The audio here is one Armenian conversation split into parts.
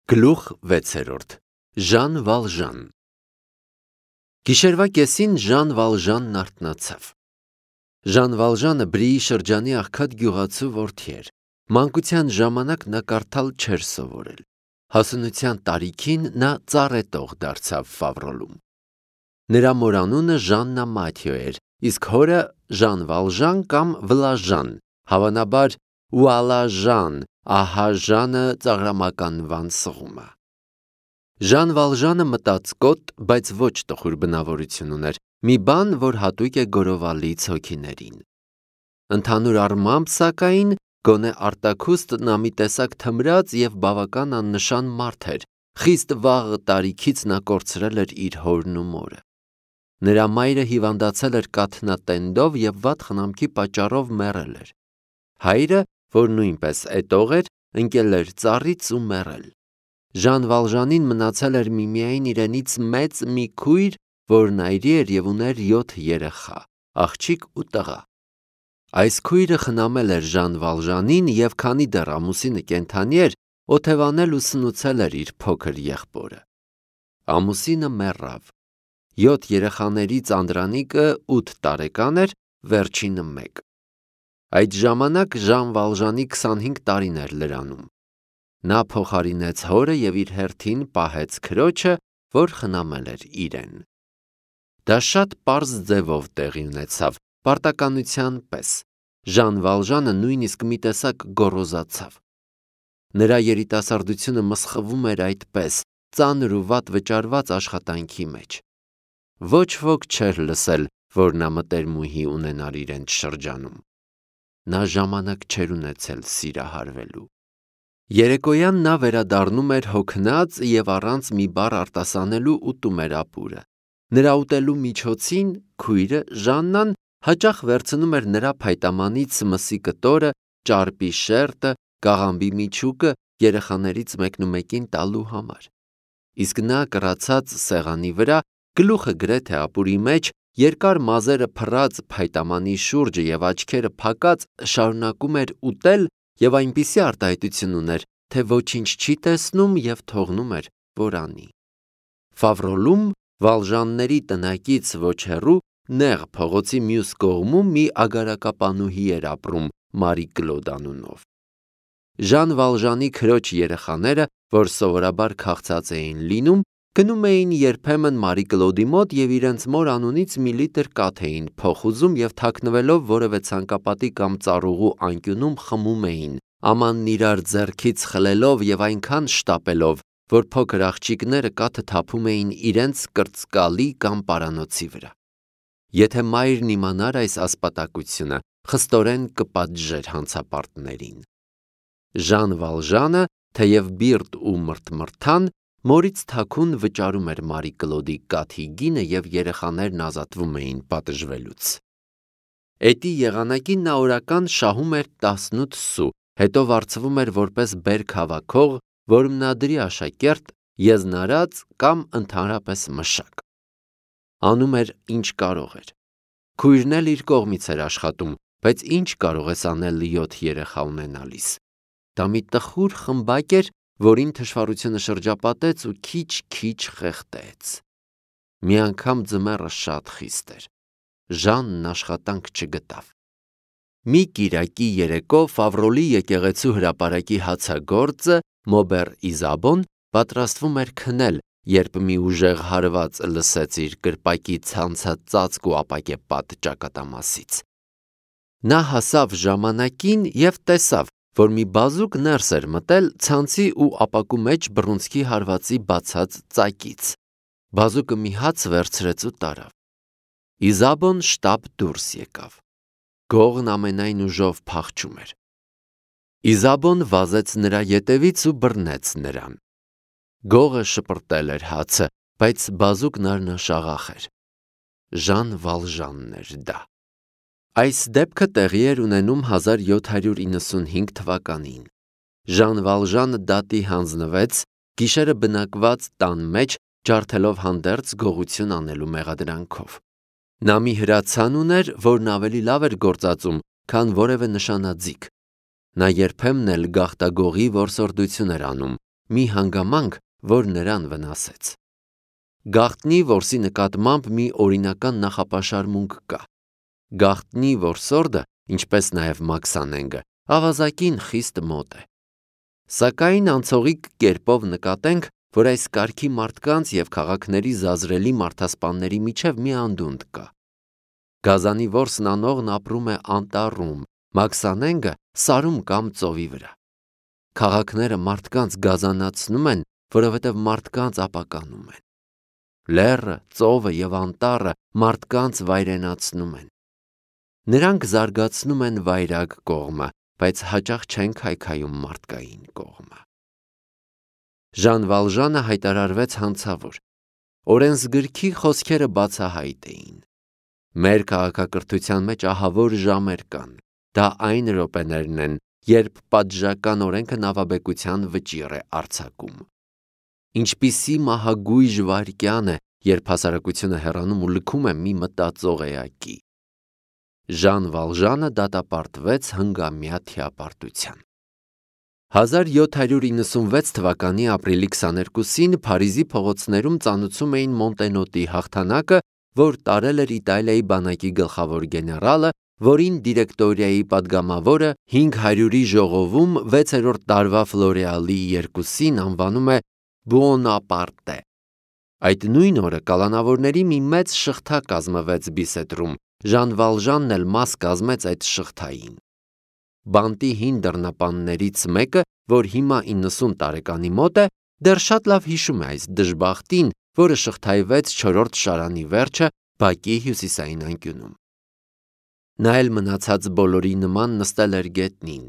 Գլուխ 6 Ժան Վալժան Գիշերվա կեսին Ժան Վալժանն արթնացավ։ Ժան Վալժանը Բրիի շրջանի աղքատ գյուղացու որդի էր։ Մանկության ժամանակ նա կարդալ չէր սովորել։ Հասունության տարիքին նա ծառետող դարձավ Ֆավրոլում։ Նրա մորանունը Ժաննա Մաթյո էր, իսկ հորը Ժան Վալժան կամ Վլաժան, հավանաբար Ուալաժան, ահա Ժանը ծաղրամականվան սղումը։ Ժան Վալժանը մտածկոտ, բայց ոչ տխուր բնավորություն ուներ, մի բան, որ հատուկ է գորովալից հոգիներին։ Ընդհանուր առմամբ, սակայն, գոնե արտաքուստ նա մի տեսակ թմրած և բավական աննշան մարդ էր, խիստ վաղ տարիքից նա կորցրել էր իր հորն ու մորը։ Նրա մայրը հիվանդացել էր կաթնատենդով և վատ խնամքի պատճառով մեռել էր։ Հայրը, որ նույնպես էտող էր, ընկել էր ծառից ու մեռել։ Ժան Վալժանին մնացել էր միմիայն իրենից մեծ մի քույր, որն այրի էր և ուներ 7 երեխա, աղջիկ ու տղա։ Այս քույրը խնամել էր Ժան Վալժանին և քանի դեռ ամուսինը կենդանի էր, օթևանել ու սնուցել էր իր փոքր եղբորը։ Ամուսինը մեռավ։ 7 երեխաներից անդրանիկը 8 տարեկան էր, վերջինը 1։ Այդ ժամանակ Ժան Վալժանի 25 տարին էր լրանում։ Նա փոխարինեց հորը և իր հերթին պահեց քրոջը, որ խնամել էր իրեն։ Դա շատ պարզ ձևով տեղի ունեցավ, պարտականության պես։ Ժան Վալժանը նույնիսկ մի տեսակ գոռոզացավ։ Նրա երիտասարդությունը մսխվում էր այդպես, ծանր ու վատ վճարված աշխատանքի մեջ։ Ոչ ոք չէր լսել, որ նա մտերմուհի ունենար իրենց շրջանում։ Նա ժամանակ չէր ունեցել սիրահարվելու։ Երեկոյան նա վերադառնում էր հոգնած և առանց մի բառ արտասանելու ուտում էր ապուրը։ Նրա ուտելու միջոցին քույրը Ժաննան հաճախ վերցնում էր նրա փայտամանից մսի կտորը, ճարպի շերտը, կաղամբի միջուկը երեխաներից մեկնումեկին տալու համար։ Իսկ նա կռացած սեղանի վրա, գլուխը գրեթե ապուրի մեջ, երկար մազերը փռած փայտամանի շուրջը և աչքերը փակած շարունակում էր ուտել և այնպիսի արտահայտություն ուներ, թե ոչինչ չի տեսնում և թողնում էր, որ անի։ Ֆավրոլում Վալժանների տնակից ոչ հեռու նեղ փողոցի մյուս կողմում մի ագարակապանուհի էր ապրում Մարի Կլոդ անունով։ Ժան Վալժանի քրոջ երեխաները, որ սովորաբար քաղցած էին լինում, գնում էին երբեմն Մարի Կլոդի մոտ և իրենց մոր անունից մի լիտր կաթ էին փոխ ուզում և թաքնվելով որևէ ցանկապատի կամ ծառուղու անկյունում խմում էին, ամանն իրար ձեռքից խլելով և այնքան շտապելով, որ փոքր աղջիկները կաթը թափում էին իրենց կրծկալի կամ պարանոցի վրա։ Եթե մայրն իմանար այս ասպատակությունը, խստորեն կպատժեր հանցապարտներին։ Ժան Վալժանը, թեև բիրտ ու մրթմրթան, մորից թաքուն վճարում էր Մարի Կլոդի կաթի գինը և երեխաներն ազատվում էին պատժվելուց։ Էդի եղանակին նա օրական շահում էր 18 սու, հետո վարձվում էր որպես բերք հավաքող, որմնադրի աշակերտ, եզնարած կամ ընդհանրապես մշակ։ Անում էր ինչ կարող էր։ Քույրն էլ իր կողմից էր աշխատում, բայց ինչ կարող ես անել 7 երեխա ունենալիս։ Դա մի տխուր խմբակ էր, որին թշվառությունը շրջապատեց ու քիչ-քիչ խեղդեց։ Մի անգամ ձմեռը շատ խիստ էր։ Ժանն աշխատանք չգտավ։ Մի կիրակի երեկո Ֆավրոլի եկեղեցու հրապարակի հացագործը Մոբեր Իզաբոն պատրաստվում էր քնել, երբ մի ուժեղ հարված լսեց իր կրպակի ցանցած ծածկ ու ապակեպատ ճակատամասից։ Նա հասավ ժամանակին և տեսավ, որ մի բազուկ ներս էր մտել ցանցի ու ապակու մեջ բռունցքի հարվածի բացած ծակից։ Բազուկը մի հաց վերցրեց ու տարավ։ Իզաբոն շտապ դուրս եկավ։ Գողն ամենայն ուժով փախչում էր։ Իզաբոն վազեց նրա ետևից ու բռնեց նրան։ Գողը շպրտել էր հացը, բայց բազուկն արնաշաղախ էր։ Ժան Վալժանն էր դա։ Այս դեպքը տեղի էր ունենում 1795 թվականին։ Ժան Վալժանը դատի հանձնվեց, գիշերը բնակված տան մեջ, ջարդելով հանդերձ գողություն անելու մեղադրանքով։ Նա մի հրացան ուներ, որն ավելի լավ էր գործածում, քան որևէ նշանաձիգ։ Նա երբեմն էլ գաղտագողի որսորդություն էր անում, մի հանգամանք, որ նրան վնասեց։ Գաղտնի որսի նկատմամբ մի օրինական նախապաշարմունք կա։ Գաղտնի որսորդը, ինչպես նաև մաքսանենգը, ավազակին խիստ մոտ է։ Սակայն անցողիկ կերպով նկատենք, որ այս կարգի մարդկանց և քաղաքների զազրելի մարդասպանների միջև մի անդունդ կա։ Գազանի որսն անողն ապրում է անտառում, մաքսանենգը սարում կամ ծովի վրա։ Քաղաքները մարդկանց գազանացնում են, որովհետև մարդկանց ապականում են։ Լեռը, ծովը և անտառը մարդկանց վայրենացնում են։ Նրանք զարգացնում են վայրագ կողմը, բայց հաճախ չեն քայքայում մարդկային կողմը։ Ժան Վալժանը հայտարարվեց հանցավոր։ Օրենսգրքի խոսքերը բացահայտ էին։ Մեր քաղաքակրթության մեջ ահավոր ժամեր կան։ Դա այն րոպեներն են, երբ պատժական օրենքը նավաբեկության վճիռ է արձակում։ Ինչպիսի մահագույժ վայրկյան է, երբ հասարակությունը հեռանում ու լքում է մի մտածող էակի։ Ժան Վալժանը դատապարտվեց հնգամյա թիապարտության։ 1796 թվականի ապրիլի 22-ին Փարիզի փողոցներում ծանուցում էին Մոնտենոտի հաղթանակը, որ տարել էր Իտալիայի բանակի գլխավոր գեներալը, որին դիրեկտորիայի падգամավորը 500-ի ժողովում 6-րդ տարվա Ֆլորեալի 2-ին անվանում է Բուոնապարտե։ Այդ նույն օրը կալանավորների մի մեծ շղթա կազմվեց Բիսետրում, Ժան Վալժանն էլ մաս կազմեց այդ շղթային։ Բանտի հին դռնապաններից մեկը, որ հիմա 90 տարեկանի մոտ է, դեռ շատ լավ հիշում է այս դժբախտին, որը շղթայվեց 4-րդ շարանի վերջը բակի հյուսիսային անկյունում։ Նա էլ մնացած բոլորի նման նստել էր գետնին։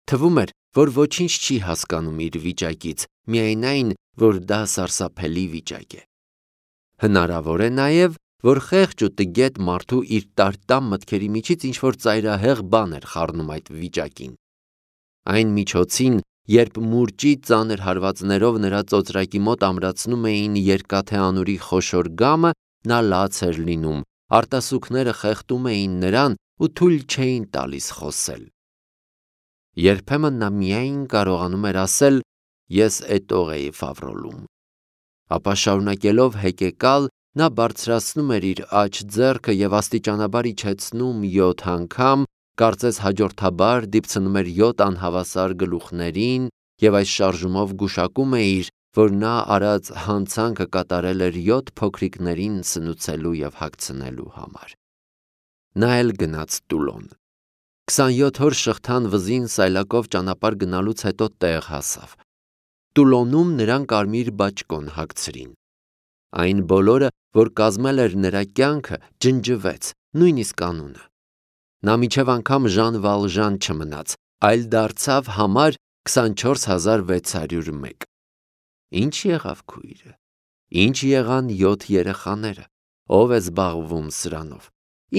Թվում էր, որ ոչինչ չի հասկանում իր վիճակից, միայն այն, որ դա սարսափելի վիճակ է։ Հնարավոր է նաև, որ խեղճ ու տգետ մարդու իր տարտամ մտքերի միջից ինչ-որ ծայրահեղ բան էր խառնում այդ վիճակին։ Այն միջոցին, երբ մուրճի ծանր հարվածներով նրա ծոծրակի մոտ ամրացնում էին երկաթե անուրի խոշոր գամը, նա լաց էր լինում, արտասուքները խեղդում էին նրան ու թույլ չէին տալիս խոսել։ Երբեմն նա միայն կարողանում էր ասել. «Ես էտող էի ֆավրոլում»։ Ապա շարունակելով հեկեկալ, նա բարձրացնում էր իր աջ ձեռքը և աստիճանաբար իջեցնում 7 անգամ, կարծես հաջորդաբար դիպցնում էր 7 անհավասար գլուխներին և այս շարժումով գուշակում է իր, որ նա արած հանցանքը կատարել էր 7 փոքրիկներին սնուցելու և հագցնելու համար։ Նա էլ գնաց Տուլոն։ 27 օր շղթան վզին սայլակով ճանապարհ գնալուց հետո տեղ հասավ։ Տուլոնում նրան կարմիր բաճկոն հագցրին։ Այն բոլորը, որ կազմել էր նրա կյանքը, ջնջվեց, նույնիսկ անունը։ Նա մինչև անգամ Ժան Վալժան չմնաց, այլ դարձավ համար 24601։ Ինչ եղավ քույրը։ Ինչ եղան 7 երեխաները։ Ով է զբաղվում սրանով։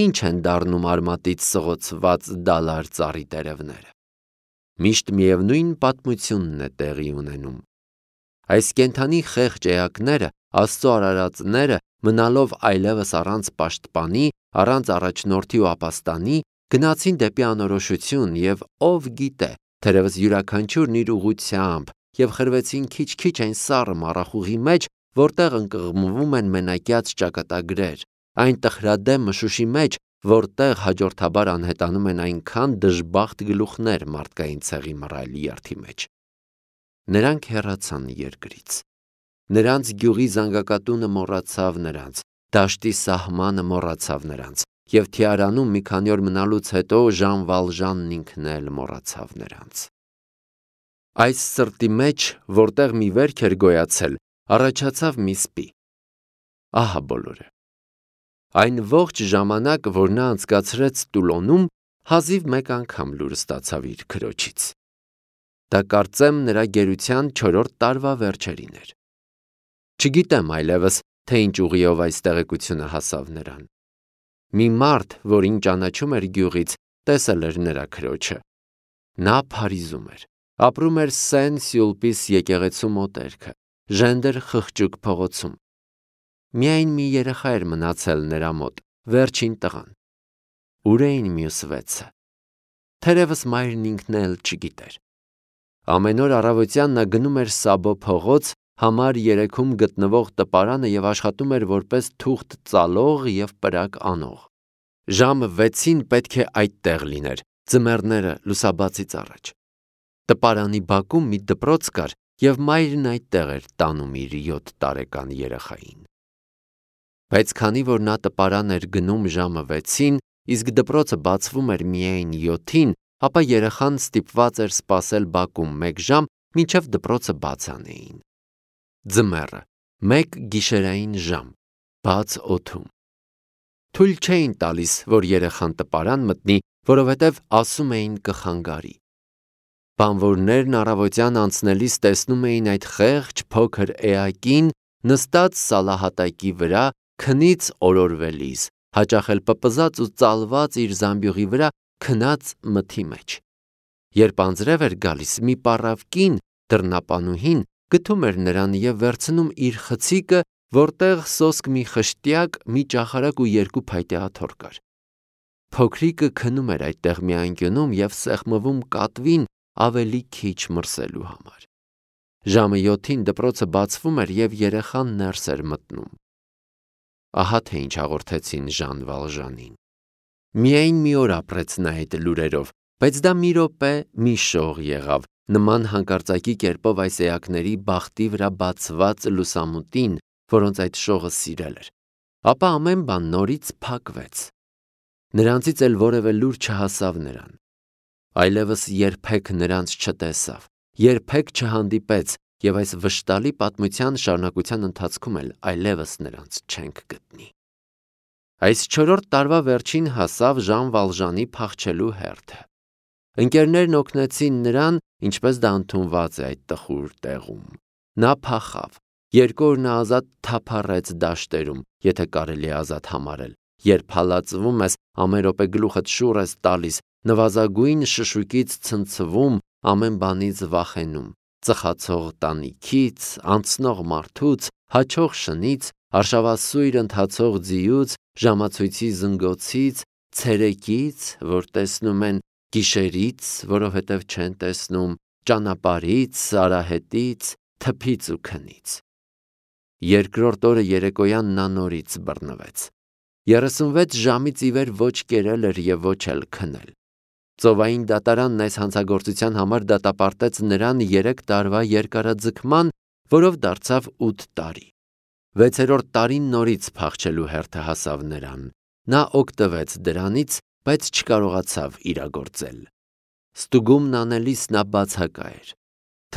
Ինչ են դառնում արմատից սղոցված դալար ծառի տերևները։ Միշտ միևնույն պատմությունն է տեղի ունենում։ Այս կենդանի խեղճ էակները, Աստծո արարածները, մնալով այլևս առանց պաշտպանի, առանց առաջնորդի ու ապաստանի, գնացին դեպի անորոշություն և ով գիտե, թերևս յուրաքանչյուրն իր ուղղությամբ, և խրվեցին քիչ-քիչ այն սառը մառախուղի մեջ, որտեղ ընկղմվում են մենակյաց ճակատագրեր, այն տխրադեմ մշուշի մեջ, որտեղ հաջորդաբար անհետանում են այնքան դժբախտ գլուխներ մարդկային ցեղի մռայլ երթի մեջ։ Նրանք հեռացան երկրից։ Նրանց գյուղի զանգակատունը մոռացավ նրանց, դաշտի սահմանը մոռացավ նրանց, և Թիարանում մի քանի օր մնալուց հետո Ժան Վալժանն ինքն էլ մոռացավ նրանց։ Այս սրտի մեջ, որտեղ մի վերք էր գոյացել, առաջացավ մի սպի։ Ահա բոլորը։ Այն ողջ ժամանակ, որ նա անցկացրեց Տուլոնում, հազիվ մեկ անգամ լուր ստացավ իր քրոջից։ Դա կարծեմ նրա գերության 4-րդ տարվա վերջերին էր։ Չգիտեմ այլևս, թե ինչ ուղիով այս տեղեկությունը հասավ նրան։ Մի մարդ, որին ճանաչում էր գյուղից, տեսել էր նրա քրոջը։ Նա Փարիզում էր, ապրում էր Սեն-Սյուլպիս եկեղեցու մոտերքը, Ժենդեր խղճուկ փողոցում։ Միայն մի երեխա էր մնացել նրա մոտ, վերջին տղան։ Ուր էին մյուս 6-ը։ Թերևս մայրն ինքն էլ չգիտեր։ Ամեն օր առավոտյան նա գնում էր Սաբո փողոց համար 3-ում գտնվող տպարանը և աշխատում էր որպես թուղթ ծալող և պրակ անող։ Ժամը 6-ին պետք է այդտեղ լիներ, ձմեռները լուսաբացից առաջ։ Տպարանի բակում մի դպրոց կար, և մայրն այդտեղ էր տանում իր 7 տարեկան երեխային։ Բայց քանի որ նա տպարան էր գնում ժամը 6-ին, իսկ դպրոցը բացվում էր միայն 7-ին, ապա երեխան ստիպված էր սպասել բակում 1 ժամ, մինչև դպրոցը բաց անեին։ Ձմեռը, 1 գիշերային ժամ, բաց օդում։ Թույլ չէին տալիս, որ երեխան տպարան մտնի, որովհետև ասում էին կխանգարի։ Բանվորներն առավոտյան անցնելիս տեսնում էին այդ խեղճ փոքր էակին նստած սալահատակի վրա, քնից օրորվելիս, հաճախ էլ պպզած ու ծալված իր զամբյուղի վրա քնած մթի մեջ։ Երբ անձրև էր գալիս, մի պառավ կին, դռնապանուհին, գթում էր նրան և վերցնում իր խցիկը, որտեղ սոսկ մի խշտյակ, մի ճախարակ ու 2 փայտե աթոռ կար։ Փոքրիկը քնում էր այդտեղ մի անկյունում և սեղմվում կատվին ավելի քիչ մրսելու համար։ Ժամը 7-ին դպրոցը բացվում էր և երեխան ներս էր մտնում։ Ահա թե ինչ հաղորդեցին Ժան Վալժանին։ Միայն մի օր ապրեց նա այդ լուրերով, բայց դա մի րոպե, մի շող եղավ, նման հանկարծակի կերպով այս էակների բախտի վրա բացված լուսամուտին, որոնց այդ շողը սիրել էր։ Ապա ամեն բան նորից փակվեց։ Նրանցից էլ որևէ լուր չհասավ նրան։ Այլևս երբեք նրանց չտեսավ, երբեք չհանդիպեց և այս վշտալի պատմության շարունակության ընթացքում էլ այլևս նրանց չենք գտնի։ Այս 4-րդ տարվա վերջին հասավ Ժան Վալժանի փախչելու հերթը։ Ընկերներն օգնեցին նրան, ինչպես դա ընդունված է այդ տխուր տեղում։ Նա փախավ։ 2 օր նա ազատ թափառեց դաշտերում, եթե կարելի է ազատ համարել, երբ հալածվում ես, ամեն րոպե գլուխդ շուռ ես տալիս, նվազագույն շշուկից ցնցվում, ամեն բանից վախենում, ծխացող տանիքից, անցնող մարդուց, հաչող շնից, արշավասույր ընթացող ձիուց, ժամացույցի զնգոցից, ցերեկից, որ տեսնում են, գիշերից, որովհետև չեն տեսնում, ճանապարհից, արահետից, թփից ու քնից։ 2-րդ օրը երեկոյան նա նորից բռնվեց։ 36 ժամից ի վեր ոչ կերել էր և ոչ էլ քնել։ Ծովային դատարանն այս հանցագործության համար դատապարտեց նրան 3 տարվա երկարաձգման, որով դարձավ 8 տարի։ 6-րդ տարին նորից փախչելու հերթը հասավ նրան։ Նա օգտվեց դրանից, բայց չկարողացավ իրագործել։ Ստուգումն անելիս նա բացակա էր։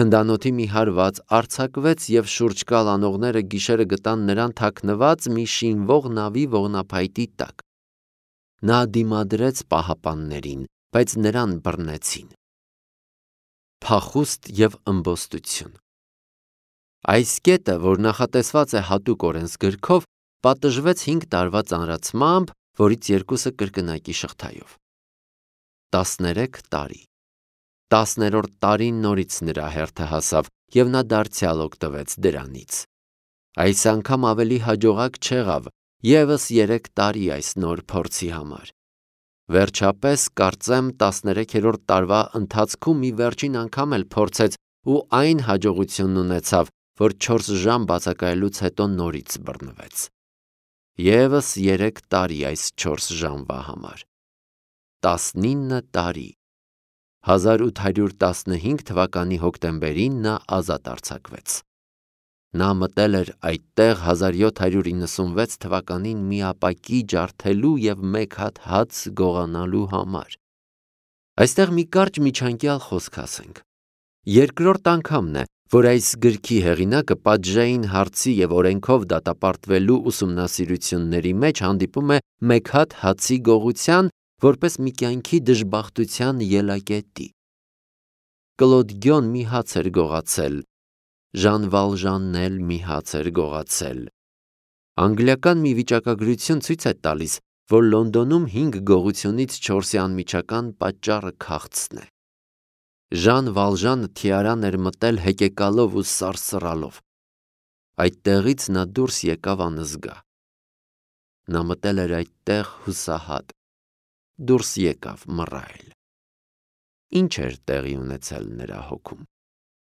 Թնդանոթի մի հարված արձակվեց և շուրջկալ անողները գիշերը գտան նրան թաքնված մի շինվող նավի ողնափայտի տակ։ Նա դիմադրեց պահապաններին, բայց նրան բռնեցին։ Փախուստ և ըմբոստություն։ Այս կետը, որ նախատեսված է հատուկ օրենսգրքով, պատժվեց 5 տարվա ծանրացմամբ, որից 2-ը կրկնակի շղթայով։ 13 տարի։ 10-րդ տարին նորից նրա հերթը հասավ, և նա դարձյալ օգտվեց դրանից։ Այս անգամ ավելի հաջողակ չեղավ, ևս 3 տարի այս նոր փորձի համար։ Վերջապես, կարծեմ, 13-րդ տարվա ընթացքում մի վերջին անգամ էլ փորձեց ու այն հաջողությունն ունեցավ, որ 4 ժամ բացակայելուց հետո նորից բռնվեց։ ԵՒս 3 տարի այս 4 ժամվա համար։ 19 տարի։ 1815 թվականի հոկտեմբերին նա ազատ արձակվեց։ Նա մտել էր այդտեղ 1796 թվականին մի ապակի ջարդելու և 1 հատ հաց գողանալու համար։ Այստեղ մի կարճ միջանկյալ խոսք ասենք։ Երկրորդ անգամն է, որ այս գրքի հեղինակը պատժային հարցի և օրենքով դատապարտվելու ուսումնասիրությունների մեջ հանդիպում է 1 հատ հացի գողության, որպես մի կյանքի դժբախտության ելակետի։ Կլոդ Գյոն մի հաց էր գողացել, Ժան Վալժանն էլ մի հաց էր գողացել։ Անգլիական մի վիճակագրություն ցույց է տալիս, որ Լոնդոնում 5 գողությունից 4-ի անմիջական պատճառը քաղցն է։ Ժան Վալժանը թիարան էր մտել հեկեկալով ու սարսռալով։ Այդտեղից նա դուրս եկավ անզգա։ Նա մտել էր այդտեղ հուսահատ, դուրս եկավ մռայլ։ Ինչ էր տեղի ունեցել նրա հոգում։